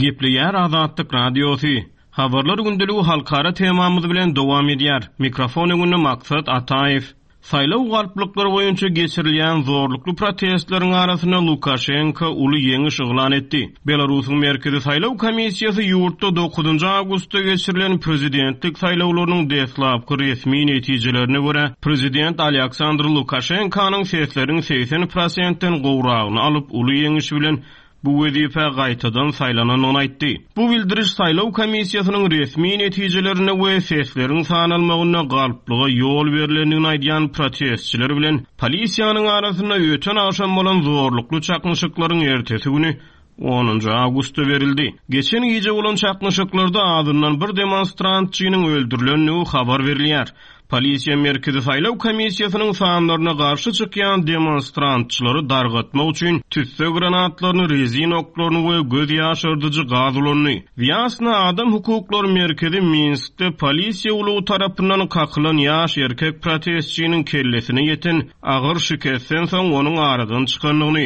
Gepleýär Azatlyk Radiosy. Habarlar gündeligi halkara temamyz bilen dowam edýär. Mikrofon öňünde Maksat Ataýew. Saýlaw galplyklary boýunça geçirilýän zorlukly protestleriň arasynda Lukaşenko uly ýeňiş yglan etdi. Belarusyň Merkezi saýlaw komissiýasy ýurtda dokuzynjy awgustda geçirilen prezidentlik saýlawlarynyň deslapky resmi netijelerine görä, prezident Alýaksandr Lukaşenkonyň sesleriň 80 prosentden gowragyny alyp, uly ýeňiş bilen bu wezipä gaýtadan saýlanandygyny aýtdy. Bu bildiriş saýlaw komissiýasynyň resmi netijelerinde we sesleriň sanalmagynda galplyga ýol berlendigini aýdýan protestçiler bilen polisiýanyň arasynda öten agşam bolan zorlukly çaknyşyklaryň ertesi güni, onunjy awgustda berildi. Geçen gije bolan çaknyşyklarda azyndan bir demonstrantçynyň öldürilendigi habar berilýär. Polisiýa Merkezi saýlaw komissiýasynyň sanlaryna garşy çykýan demonstrantçylary dargatmak üçin tüsse granatlaryny, rezin oklaryny we göz ýaşardyjy gaz ulandy. Wýasna adam hukuklary merkezi Minskde polisiýa ulagy tarapyndan kakylan ýaş erkek protestçiniň kellesine ýeten agyr şikesden soň onuň aradan çykandygyny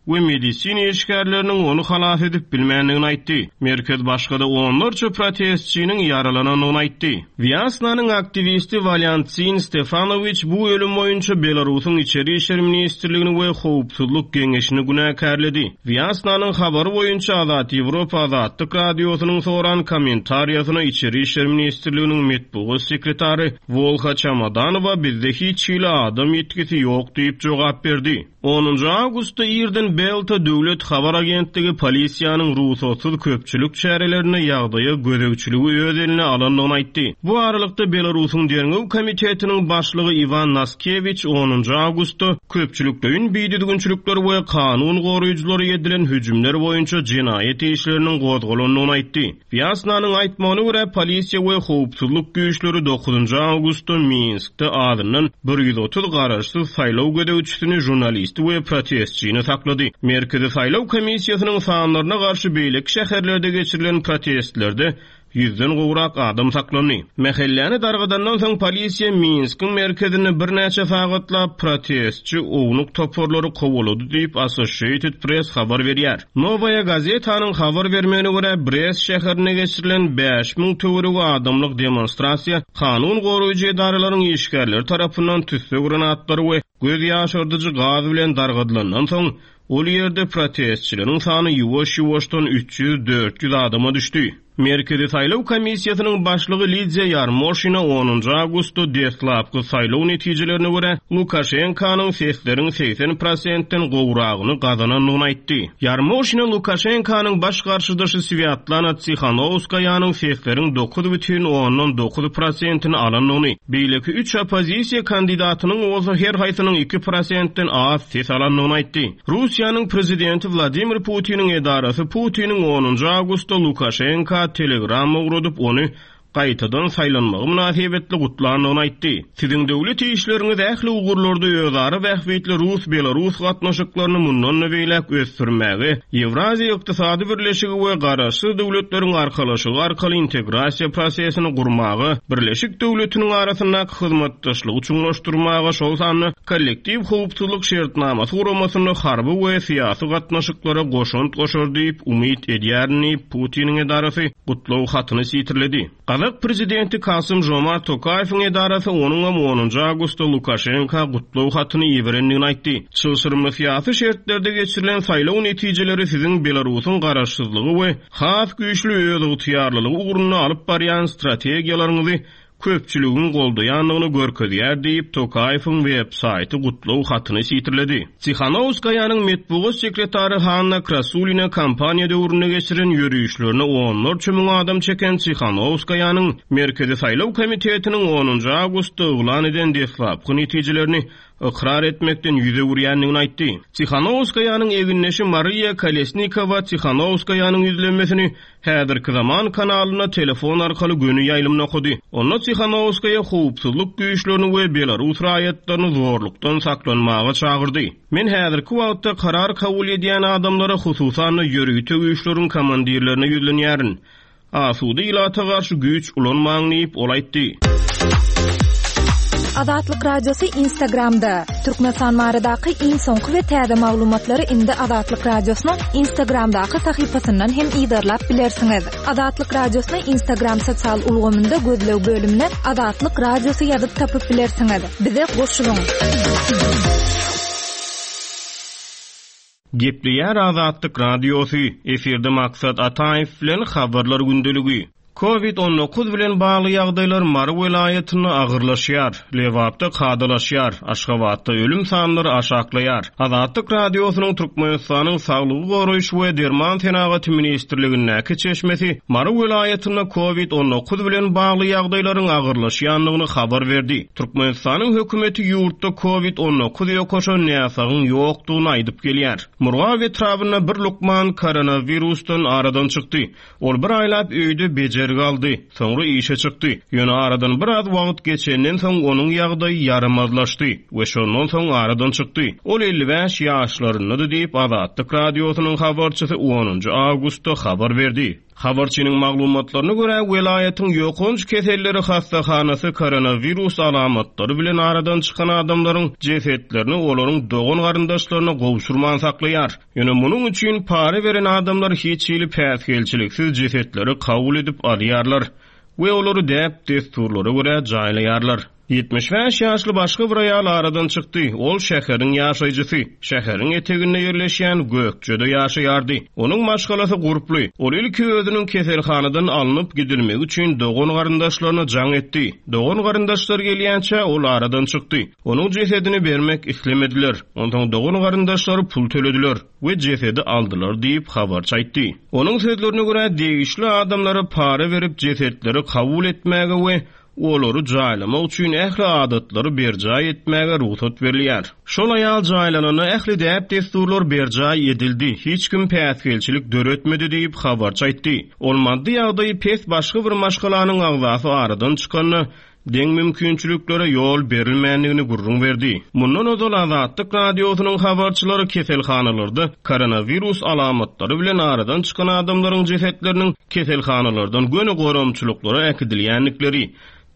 we medisina işgärleriniň ony halas edip bilmändigini aýtdy. Merkez başga-da onlarça protestçiniň ýaralanandygyny aýtdy. Wýasnanyň aktiwisti Walýantsin Stefanowiç bu ölüm boýunça Belarusyň Içeri işler ministrligini we Howpsuzlyk geňeşini günäkärledi. Wýasnanyň habary boýunça Azat Ýewropa Azatlyk Radiosynyň soran kommentariýasyna Içeri işler ministrliginiň metbugat sekretary Wolha Çamadanowa bizde hiç hili adam ýitgisi ýok diýip jogap berdi. Onunjy awgustda irden Belta döwlet habar agentligi polisiýanyň rugsatsyz köpçülik çärelerinde ýagdaýa gözegçiligi öz eline alandygyny aýtdy. Bu aralykda, Belarusyň Derňew komitetiniň başlygy Iwan Naskewiç onunjy awgustda köpçülikleýin bidüzgünçilikler we kanun goraýjylara edilen hüjümler boýunça jenaýat işleriniň gozgalandygyny aýtdy. Wýasnanyň aýtmagyna görä, polisiýa we howpsuzlyk güýçleri dokuzynjy awgustda Minskde azyndan 130 garaşsyz saýlaw gözegçisini, žurnalisti we protestçini saklady. Merkezi saýlaw komissiýasynyň sanlaryna garşy beýleki şäherlerde geçirilen protestlerde ýüzden gowrak adam saklandy. Mähelläni dargadandan soň polisiýa Minskiň merkezinde birnäçe sagatlap protestçi ownuk toparlary kowalady diýip, Associated Press habar berýär. Nowaýa gazetanyň habar bermegine görä, Brest şäherinde geçirilen 5000 töweregi adamlyk demonstrasiýa kanun goraýjy edaralaryň işgärleri tarapyndan tüsse granatlary we göz ýaşardyjy gaz bilen dargadylandan soň, ol ýerde protestçileriň sany ýuwaş-ýuwaşdan 300-400 adama düşdi. Merkezi saýlaw komissiýasynyň başlygy Lidiýa Ýarmoşina onunjy awgustda deslapky saýlaw netijelerine görä, Lukaşenkanyň sesleriň 80 prosentden gowragyny gazanandygyny aýtdy. Ýarmoşina Lukaşenkanyň baş garşydaşy Swýatlana Tsihanowskaýanyň sesleriň 9,9 prosentini alandygyny, beýleki üç oppozisiýa kandidatynyň bolsa her haýsynyň 2 prosentden az ses alandygyny aýtdy. Russiýanyň prezidenti Wladimir Putiniň edarasy Putiniň onunjy awgustda Lukaşenka telegramma ugradyp, ony gaýtadan saýlanmagy mynasybetli gutlandygyny aýtdy. Siziň döwlet işleriňiz ähli ugurlarda özara bähbitli rus-belarus gatnaşyklaryny mundan-da beýläk ösdürmäge, Ýewraziýa Ykdysady Birleşigi we Garaşsyz Döwletleriň Arkalaşygy arkaly integrasiýa prosesini gurmaga, Birleşik döwletiniň arasyndaky hyzmatdaşlygy çuňlaşdyrmaga, şol sanda Kollektiw howpsuzlyk şertnamasy guramasynda harby we syýasy gatnaşyklara goşant goşar diýip umyt edýärin diýip, Putiniň edarasy gutlag hatyny sitirledi. Gazak prezidenti Kasym-Žomart Tokaýewiň edarasy onuňam onunjy awgustda Lukaşenka gutlag hatyny iberendigini aýtdy. Çylşyrymly syýasy şertlerde geçirilen saýlaw netijeleri siziň Belarusyň garaşsyzlygy we has güýçli özygtyýarlylygy ugrunda alyp barýan strategiýalaryňyzy köpçüligiň goldaýandygyny görkezýär diýip, Tokaýewiň web-saýty gutlag hatyny sitirledi. Tsihanowskaýanyň metbugat sekretary Hanna Krasulina kampaniýa döwründe geçiren ýörişlerine onlarça müň adam çeken Tsihanowskaýanyň Merkezi saýlaw komitetiniň onunjy awgustda yglan eden deslapky netijelerini ykrar etmekden ýüz öwürýändigini aýtdy. Tsihanowskaýanyň egindeşi Mariýa Kolesnikowa Tsihanowskaýanyň ýüzlenmesini Häzirki zaman kanalynda telefon arkaly göni ýaýlymda okady. Onda Tsihanowskaýa howpsuzlyk güýçlerini we belarus raýatlaryny zorlukdan saklanmaga çagyrdy. Men häzirki wagtda karar kabul edýän adamlara, hususan-da ýörite güýçleriň komandirlerine ýüzlenýärin. Asuda ilata garşy güýç ulanmaň diýip, ol aýtdy. Azatlyk Radiosy Instagramda! Türkmenistan baradaky iň soňky we täze maglumatlary indi Azatlyk Radiosynyň Instagramdaky sahypasyndan hem yzarlap bilersiňiz. Azatlyk Radiosyny Instagram sosial ulgamynda gözleg bölümine Azatlyk Radiosy ýazyp tapyp bilersiňiz. Bize goşulyň! Gepleýär Azatlyk Radiosy, efirde Maksat Ataýew bilen Habarlar gündeligi. Covid 19 bilen bagly ýagdaýlar Mary welaýatynda agyrlaşýar, Lebapda kadalaşýar, Aşgabatda ölüm sanlary aşaklaýar. Azatlyk Radiosynyň Türkmenistanyň Saglygy goraýyş we derman senagaty ministrligindäki çeşmesi Mary welaýatynda Covid 19 bilen bagly ýagdaýlaryň agyrlaşýandygyny habar berdi. Türkmenistanyň hökümeti ýurtda Covid 19 ýokaşan näsagyň ýokdugyny aýdyp gelýär. Murgap etrabynda bir lukman koronawirusdan aradan çykdy. Ol bir aýlap öýde bejergi aldy, soňra işe çykdy. Ýöne aradan biraz wagt geçenden soň onuň ýagdaýy ýaramazlaşdy we şondan soň aradan çykdy. Ol 55 ýaşlaryndady diýip, Azatlyk Radiosynyň habarçysy onunjy awgustda habar berdi. Habarçynyň maglumatlaryna görä, welaýatyň ýokanç keselleri hassahanasy koronawirus alamatlary bilen aradan çykan adamlaryň jesetlerini olaryň dogan-garyndaşlaryna gowşurman saklaýar. Ýöne munuň üçin para beren adamlar hiç hili päsgelçiliksiz jesetleri kabul edip alýarlar we olary däp-dessurlara görä jaýlaýarlar. 75 ýaşly başga bir aýal aradan çykdy. Ol şäheriň ýaşaýjysy. Şäheriň eteginde ýerleşýän Gökjede ýaşaýardy. Onuň maşgalasy gurply. Ol ilki özüniň keselhanadan alnyp gidilmegi üçin dogan-garyndaşlaryna jaň etdi. Dogan-garyndaşlary gelýänçä ol aradan çykdy. Onuň jesedini bermek islemediler. Onsoň dogan-garyndaşlary pul tölediler we jesedi aldylar diýip, habarçy aýtdy. Onuň sözlerine görä, degişli adamlara para berip jesetleri kabul etmäge we olary jaýlamak üçin ähli adatlary berjaý etmäge rugsat berilýär. Şol aýal jaýlananda ähli däp-dessurlar berjaý edildi, hiç kim päsgelçilik döretmedi diýip, habarçy aýtdy. Ol maddy ýagdaýy pes başga bir maşgalanyň agzasy aradan çykanda, deň mümkinçiliklere ýol berilmändigini gürrüň berdi. Mundan ozal Azatlyk Radiosynyň habarçylary keselhanalarda koronawirus alamatlary bilen aradan çykan adamlaryň jesetleriniň keselhanalardan göni goramçylyklara äkidilýändikleri,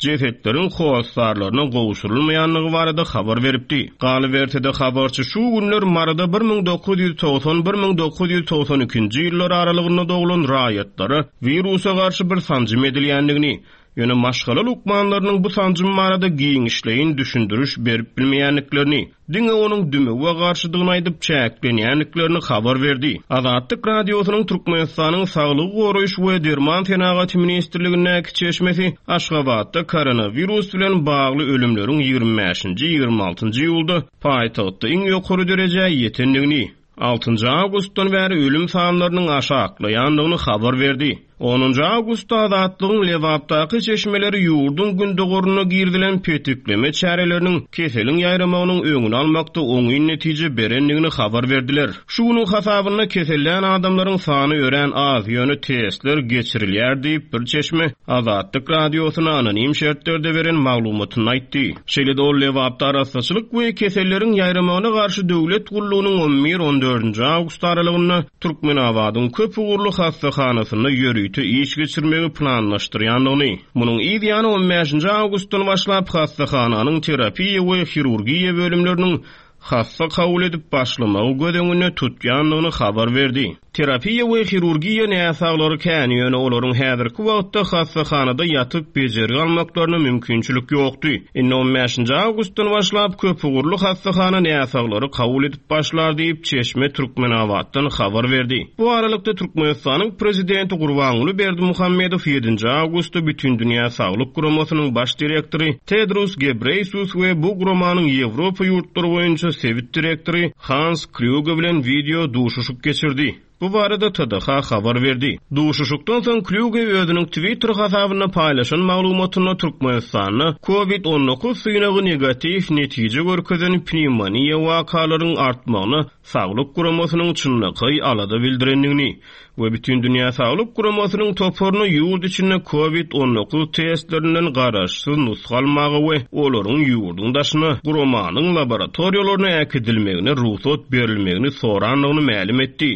jesetleriň hossarlaryna gowşurylmaýandygy barada habar beripdi. Galyberse-de, habarçy şu günler Maryda 1990, 1992-nji ýyllar aralygynda doglan raýatlara wirusa garşy bir sanjym edilýändigini, Ýöne maşgala lukmanlarynyň bu sanjym barada giňişleýin düşündiriş berip bilmeýändiklerini, diňe onuň dümewe garşydygyny aýdyp çäklenýändiklerini habar berdi. Azatlyk Radiosynyň Türkmenistanyň Saglygy goraýyş we derman senagaty ministrligindäki çeşmesi Aşgabatda koronawirus bilen bagly ölümleriň ýigrimi bäşinji, ýigrimi altynjy iýulda paýtagtda iň ýokary derejä ýetendigini, Altynjy awgustdan bäri ölüm sanlarynyň aşaklaýandygyny habar berdi. Onunjy awgustda Azatlygyň Lebapdaky çeşmeleri ýurduň gündogarynda girizilen petikleme çäreleriniň keseliň ýaýramagynyň öňüni almakda oňyn netije berendigini habar berdiler. Şu günüň hasabynda kesellän adamlaryň sany örän az, ýöne testler geçirilýär diýip, bir çeşme Azatlyk Radiosyna anonim şertlerde beren maglumatynda aýtdy. Şeýle-de ol Lebapda arassaçylyk we keselleriň ýaýramagyna garşy döwlet gullugynyň on bir, on dördünji awgust aralygynda Türkmenabadyň köp ugurly hassahanasynda ýörite iş geçirmegi planlaşdyrýandygyny, munuň yz ýany on bäşinji awgustdan başlap hassahananyň terapiýa we hirurgiýa bölümleriniň hassa kabul edip başlamagy göz öňünde tutýandygyny habar berdi. Terapiýa we hirurgiýa näsaglary kän, ýöne olaryň häzirki wagtda hassahanada ýatyp bejergi almaklaryna mümkinçilik ýokdy. Indi on bäşinji awgustdan başlap köpugurly hassahana näsaglary kabul edip başlar diýip, çeşme Türkmenabatdan habar berdi. Bu aralykda, Türkmenistanyň prezidenti Gurbanguly Berdimuhamedow ýedinji awgustda Bütindünýä saglyk guramasynyň baş direktory Tedros Gebreýsus we bu guramanyň Ýewropa ýurtlary boýunça sebit direktory Hans Klýuge bilen wideo duşuşyk geçirdi. Bu barada TDH habar berdi. Duşuşykdan soň Klýuge özüniň Twitter hasabynda paýlaşan maglumatynda Türkmenistanda Covid 19 synagy negatiw netije görkezen pnewmoniýa wakalaryň artmagyna Saglyk guramasynyň çynlakaý alada bildirendigini we Bütindünýä Saglyk Guramasynyň toparyna ýurt içinde Covid 19 testlerinden garaşsyz nusga almaga we olaryň ýurduň daşyna guramanyň laboratoriýalaryna äkidilmegine rugsat berilmegini sorandygyny mälim etdi.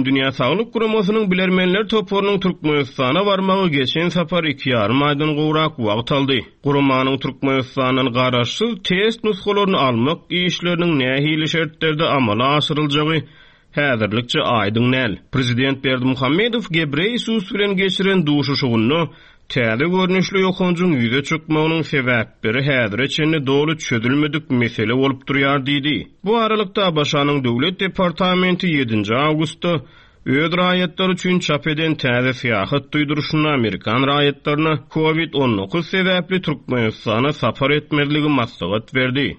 Bütindünýä Saglyk Guramasynyň bilermenler toparynyň Türkmenistana barmagy geçen sapar iki ýarym aýdan gowrak wagt aldy. Guramanyň Türkmenistandan garaşsyz test nusgalaryny almak işleriniň nähili şertlerde amala aşyryljagy häzirlikçe aýdyň däl. Prezident Berdimuhamedow Gebreýesus bilen geçiren duşuşygynda täze görnüşli ýokanjyň ýüze çykmagynyň sebäpleri häzire çenli doly çözülmedik mesele bolup durýar diýdi. Bu aralykda, ABŞ-nyň Döwlet departamenti ýedinji awgustda öz raýatlary üçin çap eden täze syýahat duýduryşynda amerikan raýatlaryna Covid 19 sebäpli Türkmenistana sapar etmezligi maslahat berdi.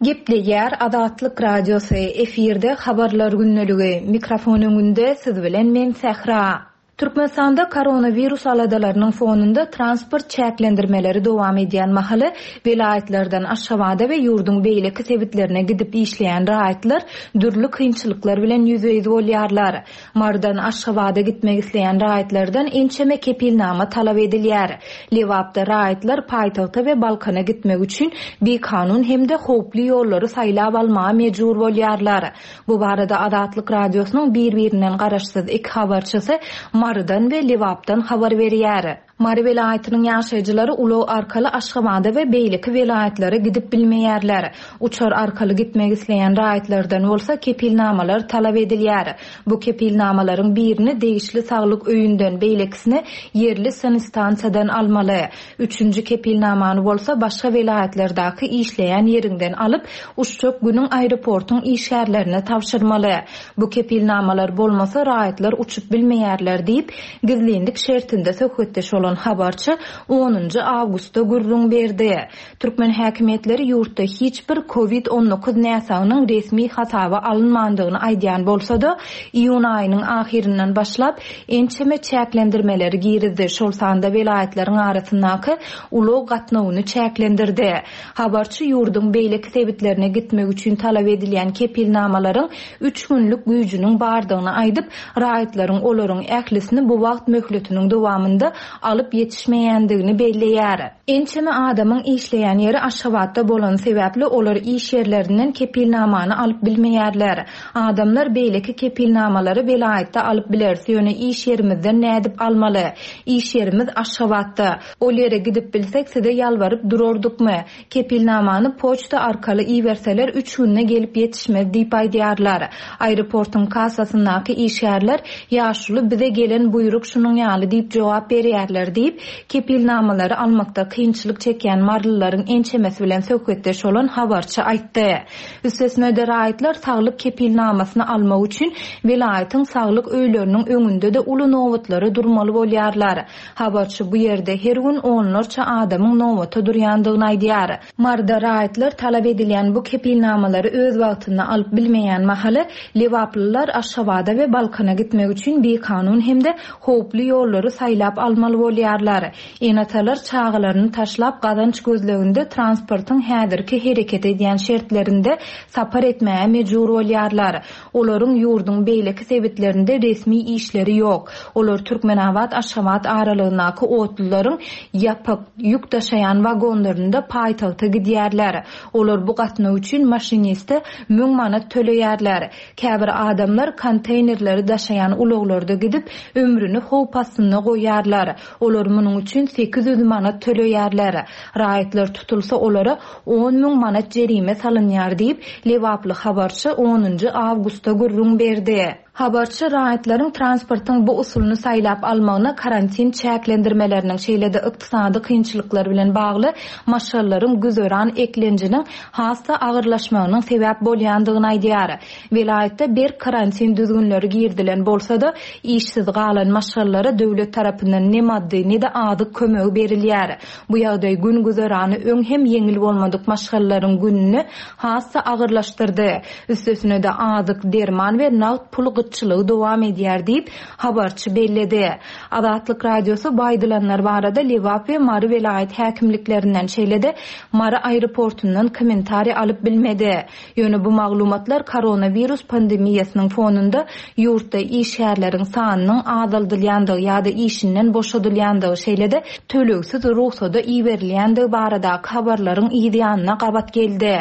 Gepleýär Azatlyk Radiosy, efirde Habarlar gündeligi, mikrofon öňünde siz bilen men Sähra. Türkmenistanda koronawirus aladalarynyň fonunda transport çäklendirmeleri dowam edýän mahaly, welaýatlardan Aşgabada we ýurduň beýleki sebitlerine gidip işleýän raýatlar dürli kynçylyklar bilen ýüzbe-ýüz bolýarlar. Marydan Aşgabada gitmek isleýän raýatlardan ençeme kepilnama talap edilýär. Lebapda raýatlar paýtagta we Balkana gitmek üçin bikanun hem-de howply ýollary saýlap almaga mejbur bolýarlar. Bu barada Azatlyk Radiosynyň bir-birinden garaşsyz iki habarçysy Marydan we Lebapdan habar berýär. Mary welaýatynyň ýaşaýjylary ulag arkaly Aşgabada we beýleki welaýatlara gidip bilmeýärler. Uçar arkaly gitmek isleýän raýatlardan bolsa kepilnamalar talap edilýär. Bu kepilnamalaryň birini degişli saglyk öýünden, beýlekisini ýerli sanstansiýadan almaly. Üçünji kepilnamany bolsa başga welaýatlardaky işleýän ýeriňden alyp, uçjak günüň aeroportuň işgärlerine tabşyrmaly. Bu kepilnamalar bolmasa raýatlar uçup bilmeýärler diýip, gizlinlik şertinde söhbetdeş bolan habarçy onunjy awgustda gürrüň berdi. Türkmen häkimiýetleri ýurtda hiç bir covid 19 näsagynyň resmi hasaba alynmandygyny aýdýan bolsa-da, iýun aýynyň ahyryndan başlap, ençeme çäklendirmeleri girizdi, şol sanda welaýatlaryň arasyndaky ulag gatnawyny çäklendirdi. Habarçy ýurduň beýleki sebitlerine gitmek üçin talap edilýän kepilnamalaryň üç günlük güýjüniň bardygyny aýdyp, raýatlaryň olaryň ählisini bu wagt möhletiniň dowamynda alyp ýetişmeýändigini belleýär. Ençeme adamyň işleýän ýeri Aşgabatda bolany sebäpli olar iş ýerlerinden kepilnamany alyp bilmeýärler. Adamlar beýleki kepilnamalary welaýatda alyp bileris, ýöne iş ýerimizden nädip almaly? Iş ýerimiz Aşgabatda. Ol ýere gidip bilsek size ýalbaryp durardykmy? Kepilnamany poçta arkaly iberseler üç günde gelip ýetişmez diýip aýdýarlar. Aeroportuň kassasyndaky işgärler Ýaşuly bize gelen buýruk şunuň ýaly diýip jogap berýärler diýip, kepilnamalary almakda kynçylyk çekýän marylylaryň ençemesi bilen söhbetdeş bolan habarçy aýtdy. Üstesine-de raýatlar saglyk kepilnamasyny almak üçin welaýatyň saglyk öýleriniň öňünde-de uly nobatlara durmaly bolýarlar. Habarçy bu ýerde her gün onlarça adamyň nobata durýandygyny aýdýar. Maryda raýatlar talap edilýän bu kepilnamalary öz wagtynda alyp bilmeýän mahaly, lebaplylar Aşgabada we Balkana gitmek üçin bikanun hem-de howply ýollary saýlap almaly bolýarlar. Ene-atalar çagalaryny taşlap gazanç gözleginde transportyň häzirki hereket edýän şertlerinde sapar etmäge mejbur bolýarlar. Olaryň ýurduň beýleki sebitlerinde resmi işleri ýok. Olar Türkmenabat-Aşgabat aralygyndaky otlularyň ýapyk, ýük daşaýan wagonlarynda paýtagta gidýärler. Olar bu gatnaw üçin maşiniste müň manat töleýärler. Käbir adamlar konteýnerleri daşaýan ulaglarda gidip, ömrüni howp astynda goýýarlar. Olar munuň üçin 800 manat töleýärler. Raýatlar tutulsa olara 10,000 manat jerime salynýar diýip, lebaply habarçy onunjy awgustda gürrüň berdi. Habarçy raýatlaryň transportyň bu usulyny saýlap almagyna karantin çäklendirmeleriniň, şeýle-de ykdysady kynçylyklar bilen bagly maşgalalaryň güzeran eklenjiniň has-da agyrlaşmagynyň sebäp bolýandygyny aýdýar. Welaýatda berk karantin düzgünleri girizilen bolsa-da, işsiz galan maşgalalara döwlet tarapyndan ne maddy, ne-de azyk kömegi berilýär. Bu ýagdaý gün-güzerany öň hem ýeňil bolmadyk maşgalalaryň gününi has-da agyrlaşdyrdy. Üstesine-de azyk, derman we nagt pul gytçylygy dowam edýär diýip, habarçy belledi. Azatlyk Radiosy bu aýdylanlar barada Lebap we Mary welaýat häkimliklerinden, şeýle-de Mary aeroportundan kommentariý alyp bilmedi. Ýöne bu maglumatlar koronawirus pandemiýasynyň fonunda ýurtda işgärleriň sanynyň azaldylýandygy ýa-da işinden boşadylýandygy, şeýle-de tölegsiz rugsada iberilýändigi baradaky habarlaryň yz ýanyna gabat geldi.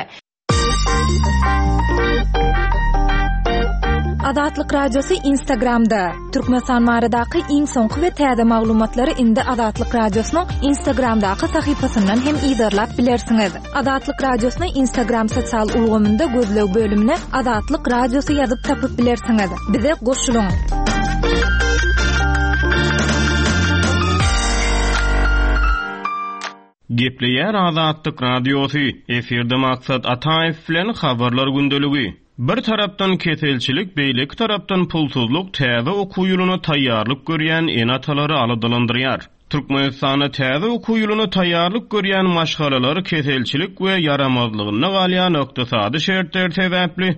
Azatlyk Radiosy Instagramda, Türkmenistan baradaky iň soňky we täze maglumatlary indi Azatlyk Radiosynyň Instagramdaky sahypasyndan hem yzarlap bilersiňiz. Azatlyk Radiosyny Instagram sosial ulgamynda gözleg bölümine Azatlyk Radiosy ýazyp tapyp bilersiňiz. Bize goşulyň! Gepleýär Azatlyk Radiosy, efirde Maksat Ataýew bilen Habarlar gündeligi. Bir tarapdan keselçilik, beýleki tarapdan pulsuzlyk täze okuw ýylyna taýýarlyk görýän ene-atalary aladalandyrýar. Türkmenistanda täze okuw ýylyna taýýarlyk görýän maşgalalar keselçilik we ýaramazlygynda galýan ykdysady şertler sebäpli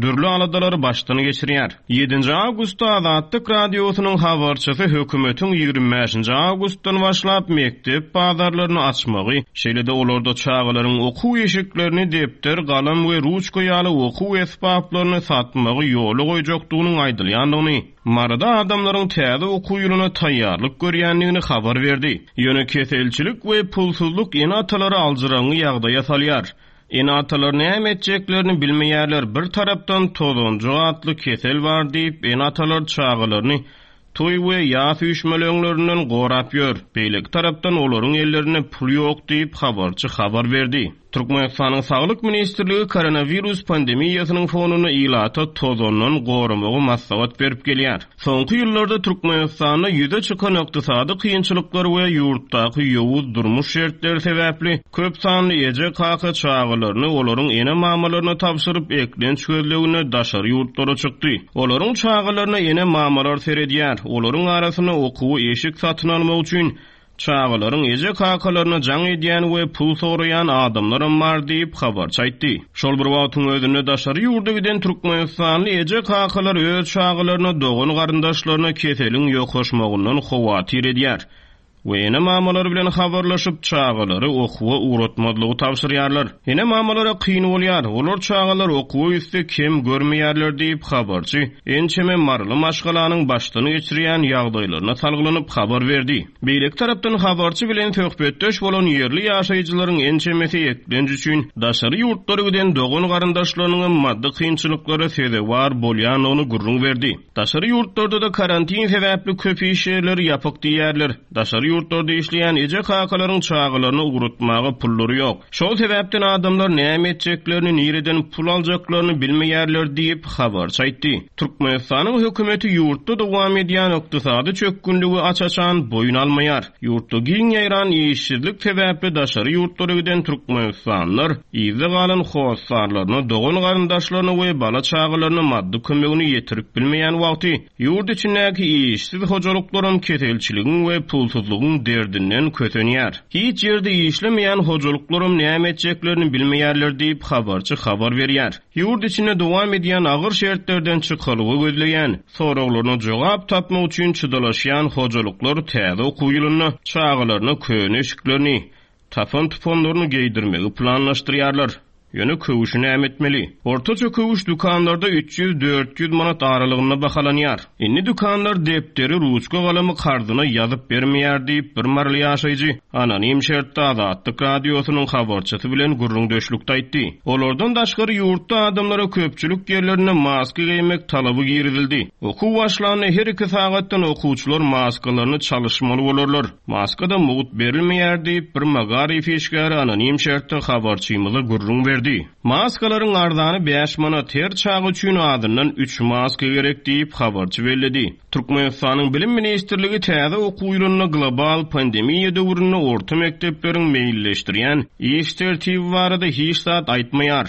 dürli aladalary başdan geçirýär. Ýedinji awgustda Azatlyk Radiosynyň habarçysy hökümetiň 25 nji awgustdan başlap mekdep bazarlaryny açmagy, şeýle-de olarda çagalaryň okuw eşiklerini, depder, galam we ruçka ýaly okuw esbaplaryny satmagy ýola goýjakdygynyň aýdylýandygyny, Maryda adamlaryň täze okuw ýylyna taýýarlyk görýändigini habar berdi. Ýöne keselçilik we pulsuzlyk ene-atalary aljyraňňy ýagdaýa salýar. Ene-atalar näme etjeklerini bilmeýärler, bir tarapdan tozanjyk atly kesel bar diýip, ene-atalar çagalaryny toý we ýas üýşmeleňlerinden gorap ýör, beýleki tarapdan olaryň ellerinde pul ýok diýip, habarçy habar berdi. Türkmenistanyň Saglyk ministrligi koronawirus pandemiýasynyň fonunda ilata tozandan goramagy maslahat berip gelýär. Soňky ýyllarda Türkmenistanda ýüze çykan ykdysady kynçylyklar we ýurtdaky ýowuz durmuş şertleri sebäpli köp sanly eje-kaka çagalaryny olaryň ene-mamalaryna tabşyryp, eklenç gözleginde daşary ýurtlara çykdy. Olaryň çagalaryna ene-mamalar seredýär, olaryň arasynda okuwa eşik satyn almak üçin Çagalaryň eje-kakalaryna jaň edýän we pul soraýan adamlaram bar diýip, habarçy aýtdy. Şol bir wagtyň özünde daşary ýurda giden türkmenistanly eje-kakalar öz çagalaryna, dogan-garyndaşlaryna keseliň ýokaşmagyndan howatyr edýär we ene-mamalary bilen habarlaşyp, çagalary okuwa ugratmazlygy tabşyrýarlar. Ene-mamalara kyn bolýar, olar çagalar okuwa gitse kem görmeýärler diýip, habarçy ençeme maryly maşgalanyň başdan geçirýän ýagdaýlaryna salgylanyp habar berdi. Beýleki tarapdan habarçy bilen söhbetdeş bolan ýerli ýaşaýjylaryň ençemesi eklenç üçin daşary ýurtlara giden dogan-garyndaşlarynyňam maddy kynçylyklara sezewar bolýandygyny gürrüň berdi. Daşary ýurtlarda-da karantin sebäpli köp iş ýerleri ýapyk diýýärler. Daşary ýurtlarda işleýän eje-kakalaryň çagalaryny ugratmaga pullary ýok. Şol sebäpden adamlar näme etjeklerini, nireden pul aljaklaryny bilmeýärler diýip, habarçy aýtdy. Türkmenistanyň hökümeti ýurtda dowam edýän ykdysady çökgünligi aç-açan boýun almaýar. Ýurtda giň ýaýran işsizlik sebäpli daşary ýurtlara giden türkmenistanlylar yzda galan hossarlaryna, dogan-garyndaşlaryna we bala-çagalaryna maddy kömegini ýetirip bilmeýän wagty, ýurt içindäki işsiz hojalyklaram keselçiligiň we pulsuzlygyň derdinden kösenýär. Hiç ýerde işlemeýän hojalyklaram näme etjeklerini bilmeýärler diýip, habarçy habar berýär. Ýurt içinde dowam edýän agyr şertlerden çykalga gözleýän, soraglaryna jogap tapmak üçin çydalaşýan hojalyklar täze okuw ýylynda çagalaryna köne eşiklerini, tapan-tupanlaryny geýdirmegi planlaşdyrýarlar. Ýöne köwşi näme etmeli? Ortaça köwüş dükanlarda 300-400 manat aralygynda bahalanýar. Indi dükanlar depderi, ruçka-galamy karzyna ýazyp bermeýär diýip, bir maryly ýaşaýjy anonim şertde Azatlyk Radiosynyň habarçysy bilen gürrüňdeşlikde aýtdy. Olardan daşgary ýurtda adamlara köpçülik ýerlerinde maska geýmek talaby girizildi. Okuw başlanda her iki sagatdan okuwçylar maskalaryny çalyşmaly bolarlar. Maska-da mugt berilmeýär diýip, bir magaryf işgäri anonim şertde habarçymyza gürrüň berdi. Maskalaryň arzany bäş manat, her çaga üçin azyndan üç maska gerek diýip, habarçy belledi. Türkmenistanyň Bilim ministrligi täze okuw ýylynda global pandemiýa döwründe orta mekdepleriň meýilleşdirýän iş tertibi barada hiç zat aýtmaýar.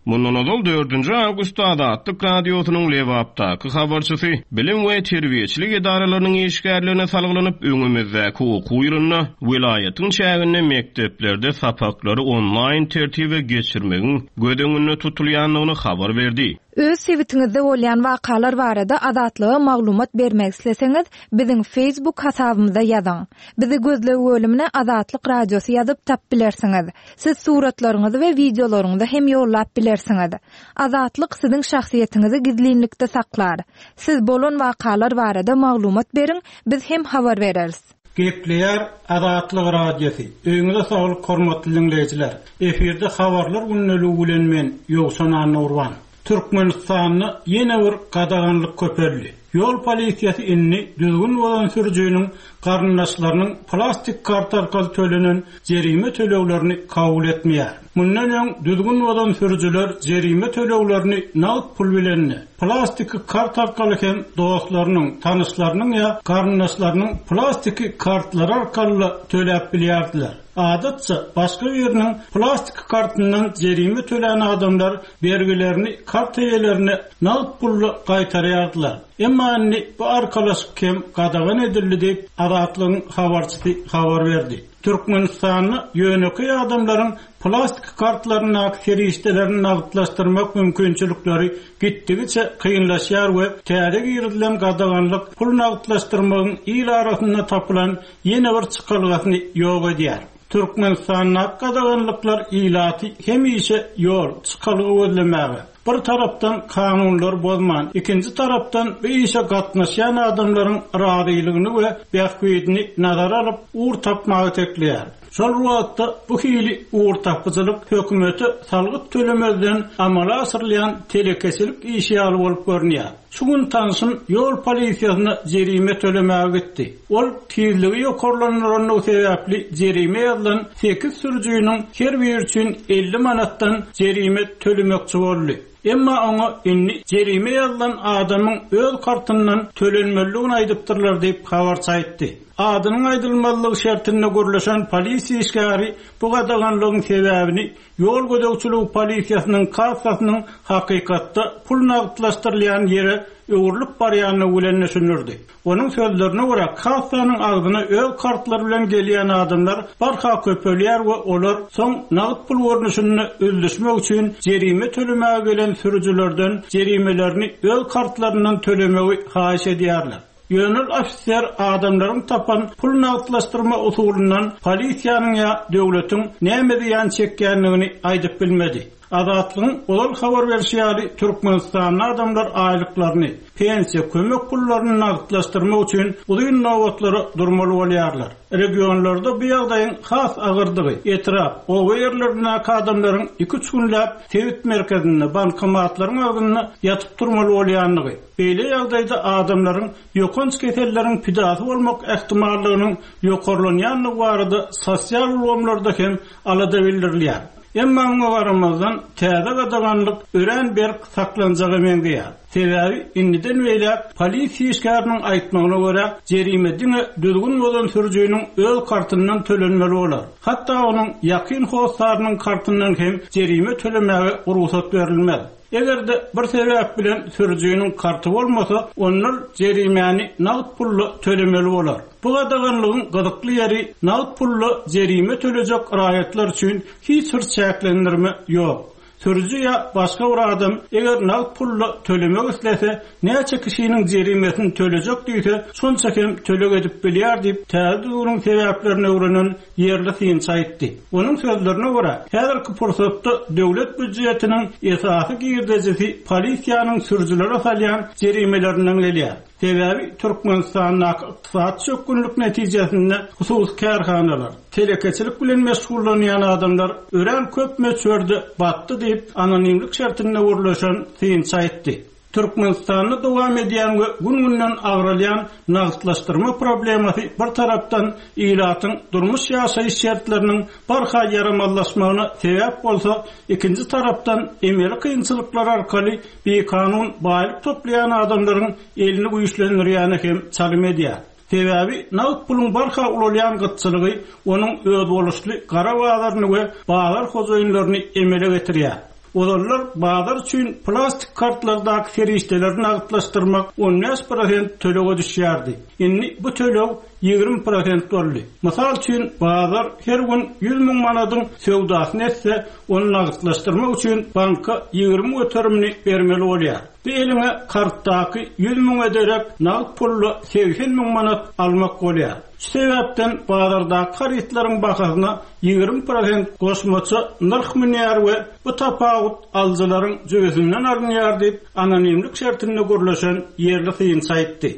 Mundan ozal dördünji awgustda Azatlyk Radiosynyň Lebapdaky habarçysy bilim we terbiýeçilik edaralarynyň işgärlerine salgylanyp, öňümizdäki okuw ýylynda welaýatyň çäginde mekdeplerde sapaklary onlaýn tertibe geçirmegiň göz öňünde tutulýandygyny habar berdi. Öz sebitiňizde bolýan wakalar barada Azatlyga maglumat bermek isleseňiz, biziň Facebook hasabymyza ýazyň. Bizi gözleg bölümine Azatlyk Radiosy ýazyp tap bilersiňiz. Siz suratlaryňyzy we wideolaryňyzy hem ýollap bilersiňiz. Azatlyk siziň şahsyýetiňizi gizlinlikde saklar. Siz bolan wakalar barada maglumat beriň, biz hem habar bereris. Gepleýär Azatlyk Radiosy, Öýüňize saglyk hormatly diňleýjiler! Efirde Habarlar gündeligi bilen men, Ýowşan Annagurban. Türkmenistanda ýene bir gadaganlyk köpeldi. Ýol polisiýasy indi düzgün bozan sürüjiniň garyndaşlarynyň plastik karta arkaly tölenen jerime töleglerini kabul etmeýär. Mundan öň düzgün bozan sürüjiler jerime töleglerini nagt pul bilen-de, plastiki kart arkaly hem dostlarynyň, tanyşlarynyň ýa garyndaşlarynyň plastiki kartlary arkaly-da töläp bilýärdiler. Adatça, başga biriniň plastiki kartyndan jerime tölän adamlar bergilerini kart eýelerine nagt pully gaýtarýardylar. Emma indi bu arkalaşyk hem gadagan edildi diýip, Azatlygyň habarçysy habar berdi. Türkmenistanda ýönekeý adamlaryň plastik kartlaryndaky serişdelerini nagtlaşdyrmak mümkinçilikleri gitdigiçe kynlaşýar we täze girizilen gadaganlyk pul nagtlaşdyrmagyň il arasynda tapylan ýene bir çykalgasyny ýok edýär. Türkmenistandaky gadaganlyklar ilaty hemişe ýol, çykalga gözlemäge, bir tarapdan kanunlary bozman, ikinji tarapdan bu işe gatnaşýan adamlaryň razylygyny we bähbidini nazara alyp, ugur tapmaga itekleýär. Şol bir wagtda bu hili ugurtapyjylyk hökümete salgyt tölemezden amala aşyrylýan telekeçilik işi ýaly bolup görünýär. Şu gün tanşym ýol polisiýasyna jerime tölemäge gitdi. Ol tizligi ýokarlandyrandygy sebäpli jerime ýazylan sekiz sürüjiniň her biri üçin 50 manatdan jerime tölemekçi boldy. Emma oňa indi jerime ýazylan adamyň öz kartyndan tölenmelidigini aýdypdyrlar diýip, habarçy aýtdy. Adynyň aýdylmazlygy şertinde gürleşen polisiýa işgäri bu gadaganlygyň sebäbini Ýol gözegçiligi polisiýasynyň kassasynyň hakykatda pul nagtlaşdyrylýan ýere öwrülip barýandygy bilen düşündirdi. Onuň sözlerine görä, kassanyň agzyna öz kartlary bilen gelýän adamlar barha köpelýär we olar soň nagt pul görnüşinde üzlüşmek üçin jerime tölemäge gelen sürüjilerden jerimelerini öz kartlaryndan tölemegi haýyş edýärler. Ýöne ol ofiser adamlaryň tapan pul nagtlaşdyrma usulyndan polisiýanyň ýa döwletiň näme zyýan çekýändigini aýdyp bilmedi. Azatlygyň ozal habar berşi ýaly, Türkmenistanda adamlar aýlyklaryny, pensiýa, kömek pullaryny nagtlaşdyrmak üçin uzyn nobatlara durmaly bolýarlar. Regionlarda bu ýagdaýyň has agyrdygy, etrap, oba ýerlerindäki adamlaryň iki-üç günläp sebit merkezinde, bankomatlaryň agzynda ýatyp-turmaly bolýandygy, Beýle ýagdaýda adamlaryň ýokanç keselleriň pidasy bolmak ähtimallygynyň ýokarlanýandygy barada sosial ulgamlarda hem alada bildirilýär. Emma muňa garamazdan, täze gadaganlyk örän berk saklanjaga meňzeýär. Sebäbi indiden beýläk polisiýa işgäriniň aýtmagyna görä, jerime diňe düzgün bozan sürüjiniň öz kartyndan tölenmeli bolar. Hatda onuň ýakyn hossarynyň kartyndan hem jerime tölemäge rugsat berilmez. Eger-de bir sebäp bilen sürüjiniň karty bolmasa, onda ol jerimäni nagt pulda tölemeli bolar. Bu gadaganlygyň gyzykly ýeri, nagt pulda jerime tölejek raýatlar üçin hiç bir çäklendirme ýok. Sürüji ýa başga bir adam eger nagt pulda tölemek islese, näçe kişiniň jerimesini tölejek diýse, şonça hem töleg edip bilýär diýip, täze düzgüniň sebäplerini öwrenen ýerli synçy aýtdy. Onuň sözlerine görä, häzirki pursatda döwlet býujetiniň esasy girdejisi polisiýanyň sürüjilere salýan jerimelerinden gelýär. Sebäbi Türkmenistandaky ykdysady çökgünlik netijesinde hususy kärhanalar, telekeçilik bilen meşgullanýan adamlar örän köp möçberde batdy diýip, anonimlik şertinde gürleşen synçy aýtdy. Türkmenistanda dowam edýän we gün-günden agralýan nagtlaşdyrma problemasy bir tarapdan ilatyň durmuş-ýaşaýyş şertleriniň barha ýaramazlaşmagyna sebäp bolsa, ikinji tarapdan emeli kynçylyklar arkaly bikanun baýlyk toplaýan adamlaryň elini güýçlendirýäne hem çalym edýär. Sebäbi nagt puluň barha ulalýan gytçylygy onuň özboluşly gara bazaryny we bazar hojaýynlaryny emele getirýär. Ozallar bazar üçin plastik kartlardaky serişdeleri nagtlaşdyrmak 15 prosent tölege düşýärdi. Indi bu töleg 20 prosent boldy. Mysal üçin, bazar her gün 100 müň manadyň söwdasyny etse, ony nagtlaşdyrmak üçin banka 20 göterimini bermeli bolýar. Bu eliňe kartdaky 100 müňe derek nagt pulda 80 müň manat almak bolýar. Şu sebäpden bazardaky harytlaryň bahasyna 20 prosent goşmaça nyrh münýär we bu tapawut alyjylaryň jübüsinden alynýar diýip, anonimlik şertinde gürleşen ýerli synçy aýtdy.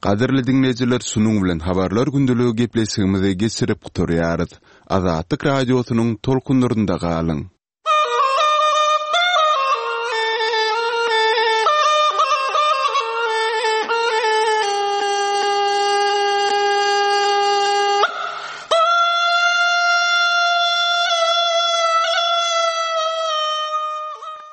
Gadyrly diňleýjiler şunuň bilen Habarlar gündeligi gepleşigimizi geçirip gutarýarys. Azatlyk Radiosynyň tolkunlarynda galyň!